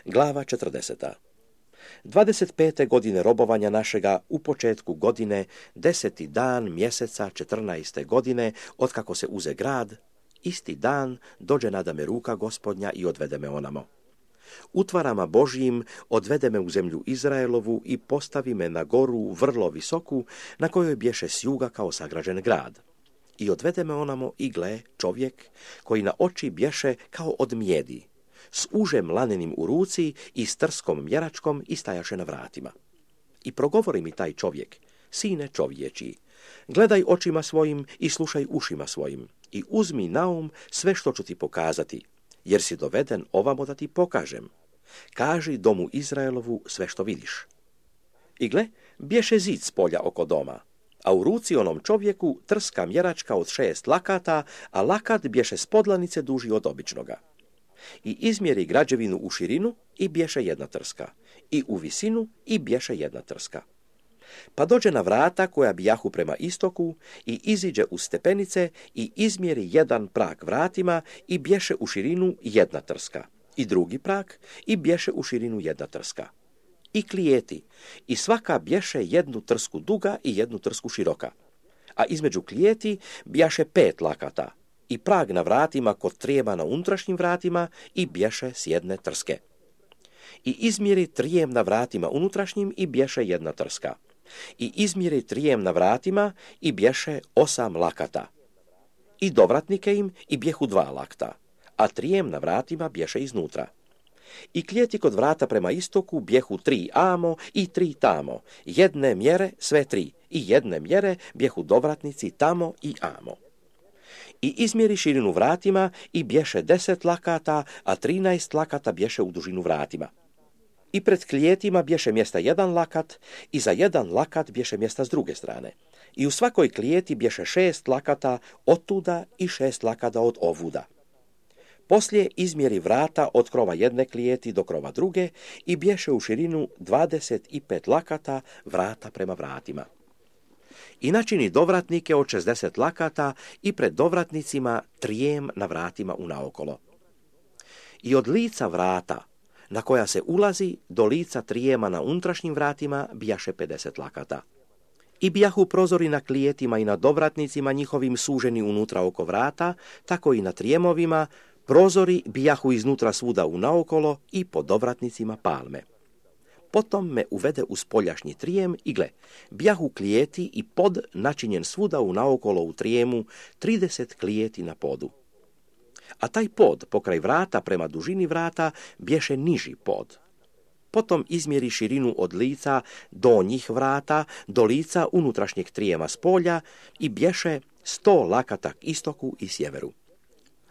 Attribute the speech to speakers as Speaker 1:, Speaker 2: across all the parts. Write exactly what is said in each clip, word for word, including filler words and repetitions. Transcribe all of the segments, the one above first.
Speaker 1: Glava četrdeseta. dvadeset pete godine robovanja našega u početku godine, deseti dan mjeseca četrnaeste godine, otkako se uze grad, isti dan dođe nada me ruka Gospodnja i odvede me onamo. Utvarama Božjim odvede me u zemlju Izraelovu i postavi me na goru vrlo visoku, na kojoj bješe s juga kao sagrađen grad. I odvede me onamo i gle čovjek koji na oči bješe kao od mjedi, s užem lanenim u ruci i s trskom mjeračkom i stajaše na vratima. I progovori mi taj čovjek, sine čovječi, gledaj očima svojim i slušaj ušima svojim i uzmi na um sve što ću ti pokazati, jer si doveden ovamo da ti pokažem. Kaži domu Izraelovu sve što vidiš. I gle, bješe zid s polja oko doma, a u ruci onom čovjeku trska mjeračka od šest lakata, a lakat bješe s podlanice duži od običnoga. I izmjeri građevinu u širinu i bješe jedna trska, i u visinu i bješe jedna trska. Pa dođe na vrata koja bijahu prema istoku i iziđe u stepenice i izmjeri jedan prag vratima i bješe u širinu jedna trska, i drugi prag i bješe u širinu jedna trska. I klijeti, i svaka bješe jednu trsku duga i jednu trsku široka, a između klijeti bjaše pet lakata, i prag na vratima kod trijema na unutrašnjim vratima i bješe s jedne trske. I izmjeri trijem na vratima unutrašnjim i bješe jedna trska. I izmjeri trijem na vratima i bješe osam lakata. I dovratnike im i bjehu dva lakta, a trijem na vratima bješe iznutra. I klijeti kod vrata prema istoku bjehu tri amo i tri tamo, jedne mjere sve tri, i jedne mjere bjehu dovratnici tamo i amo. I izmjeri širinu vratima i bješe deset lakata, a trinaest lakata bješe u dužinu vratima. I pred klijetima bješe mjesta jedan lakat, i za jedan lakat bješe mjesta s druge strane. I u svakoj klijeti bješe šest lakata od tuda i šest lakata od ovuda. Poslije izmjeri vrata od krova jedne klijeti do krova druge i bješe u širinu dvadeset pet lakata vrata prema vratima. I načini dovratnike od šezdeset lakata i pred dovratnicima trijem na vratima unaokolo. I od lica vrata na koja se ulazi do lica trijema na unutrašnjim vratima bijaše pedeset lakata. I bijahu prozori na klijetima i na dovratnicima njihovim suženi unutra oko vrata, tako i na trijemovima, prozori bijahu iznutra svuda unaokolo i po dovratnicima palme. Potom me uvede u spoljašnji trijem i gle, bijahu klijeti i pod načinjen svuda unaokolo u trijemu, trideset klijeti na podu. A taj pod pokraj vrata prema dužini vrata bješe niži pod. Potom izmjeri širinu od lica donjih vrata do lica unutrašnjeg trijema s polja i bješe sto lakata k istoku i sjeveru.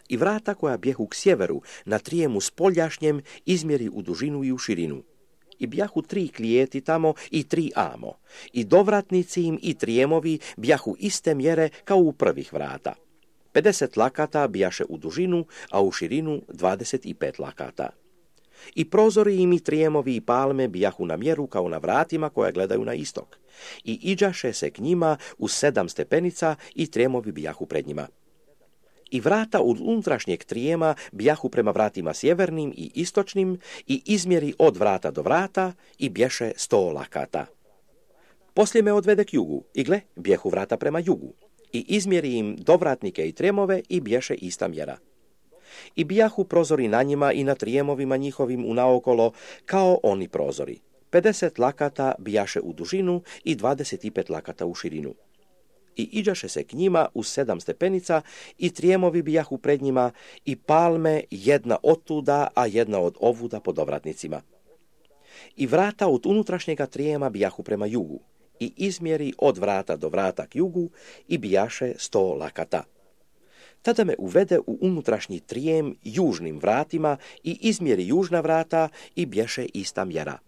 Speaker 1: I vrata koja bjehu k sjeveru na trijemu spoljašnjem izmjeri u dužinu i u širinu. I bjahu tri klijeti tamo i tri amo. I dovratnici im i trijemovi bjahu iste mjere kao u prvih vrata. pedeset lakata bijaše u dužinu, a u širinu dvadeset pet lakata. I prozori im i trijemovi i palme bijahu na mjeru kao na vratima koja gledaju na istok. I iđaše se k njima u sedam stepenica i trijemovi bijahu pred njima. I vrata od unutrašnjeg trijema bijahu prema vratima sjevernim i istočnim i izmjeri od vrata do vrata i bješe sto lakata. Poslije me odvede k jugu i gle, bjehu vrata prema jugu. I izmjeri im dovratnike i trijemove i bješe ista mjera. I bijahu prozori na njima i na trijemovima njihovim unaokolo kao oni prozori. pedeset lakata bijaše u dužinu i dvadeset pet lakata u širinu. I iđaše se k njima u sedam stepenica i trijemovi bijahu pred njima i palme jedna od tuda, a jedna od ovuda po dovratnicima. I vrata od unutrašnjega trijema bijahu prema jugu. I izmjeri od vrata do vrata k jugu i bijaše sto lakata. Tada me uvede u unutrašnji trijem južnim vratima i izmjeri južna vrata i bješe ista mjera.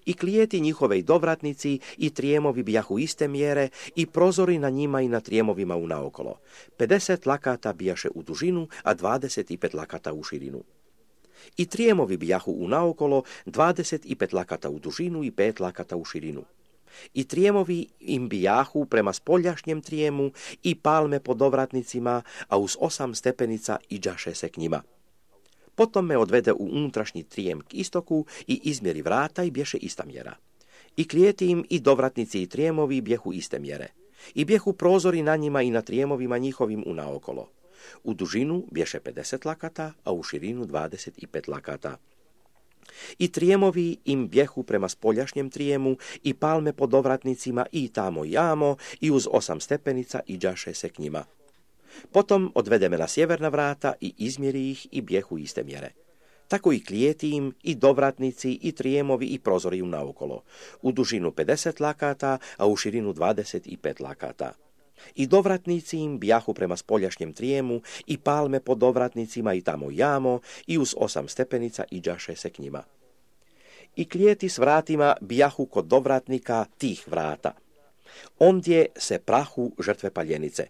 Speaker 1: I klijeti njihove i dovratnici i trijemovi bijahu iste mjere i prozori na njima i na trijemovima unaokolo. pedeset lakata bijaše u dužinu, a dvadeset pet lakata u širinu. I trijemovi bijahu unaokolo, dvadeset pet lakata u dužinu i pet lakata u širinu. I trijemovi im bijahu prema spoljašnjem trijemu i palme po dovratnicima, a uz osam stepenica iđaše se k njima. Potom me odvede u unutrašnji trijem k istoku i izmjeri vrata i bješe ista mjera. I klijeti im i dovratnici i trijemovi bjehu iste mjere. I bjehu prozori na njima i na trijemovima njihovim unaokolo. U dužinu bješe pedeset lakata, a u širinu dvadeset pet lakata. I trijemovi im bjehu prema spoljašnjem trijemu i palme po dovratnicima i tamo i amo i uz osam stepenica i đaše se k njima. Potom odvede me na sjeverna vrata i izmjeri ih i bjehu iste mjere. Tako i klijeti im i dovratnici i trijemovi i prozori unaokolo. U dužinu pedeset lakata, a u širinu dvadeset pet lakata. I dovratnici im bjahu prema spoljašnjem trijemu i palme po dovratnicima i tamo jamo i uz osam stepenica i đaše se k njima. I klijeti s vratima bjahu kod dovratnika tih vrata. Ondje se prahu žrtve paljenice.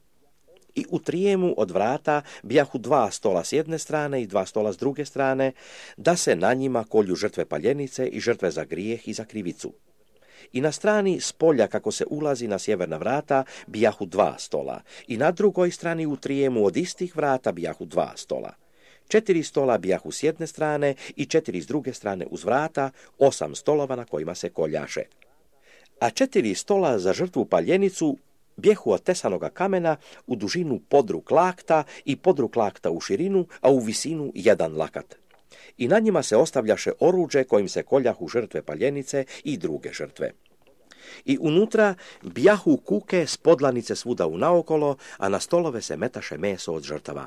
Speaker 1: I u trijemu od vrata bjahu dva stola s jedne strane i dva stola s druge strane, da se na njima kolju žrtve paljenice i žrtve za grijeh i za krivicu. I na strani spolja kako se ulazi na sjeverna vrata bijahu dva stola i na drugoj strani u trijemu od istih vrata bijahu dva stola. Četiri stola bijahu s jedne strane i četiri s druge strane uz vrata, osam stolova na kojima se koljaše. A četiri stola za žrtvu paljenicu bjehu od tesanoga kamena u dužinu podruk lakta i podruk lakta u širinu, a u visinu jedan lakat. I na njima se ostavljaše oruđe kojim se koljahu žrtve paljenice i druge žrtve. I unutra bjahu kuke s podlanice svuda unaokolo, a na stolove se metaše meso od žrtava.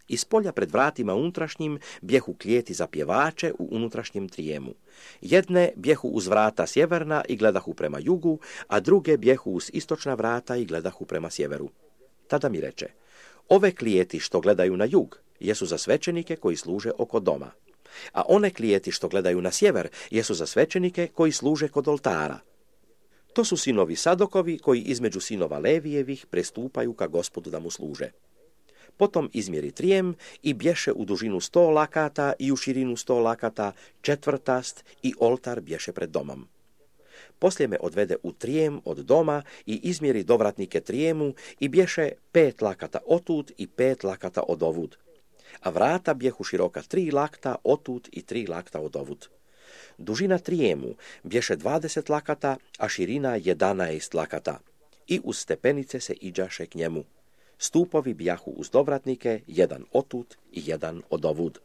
Speaker 1: Iz polja pred vratima unutrašnjim bjehu klijeti za pjevače u unutrašnjem trijemu. Jedne bjehu uz vrata sjeverna i gledahu prema jugu, a druge bjehu uz istočna vrata i gledahu prema sjeveru. Tada mi reče, ove klijeti što gledaju na jug jesu za svećenike koji služe oko doma, a one klijeti što gledaju na sjever jesu za svećenike koji služe kod oltara. To su sinovi Sadokovi koji između sinova Levijevih prestupaju ka Gospodu da mu služe. Potom izmjeri trijem i bješe u dužinu sto lakata i u širinu sto lakata, četvrtast i oltar bješe pred domom. Poslije me odvede u trijem od doma i izmjeri dovratnike trijemu i bješe pet lakata otud i pet lakata odovud. A vrata bjehu široka tri lakta otud i tri lakta odovud. Dužina trijemu bješe dvadeset lakata, a širina jedanaest lakata. I uz stepenice se iđaše k njemu. Stupovi bjahu uz dovratnike, jedan otud i jedan odovud.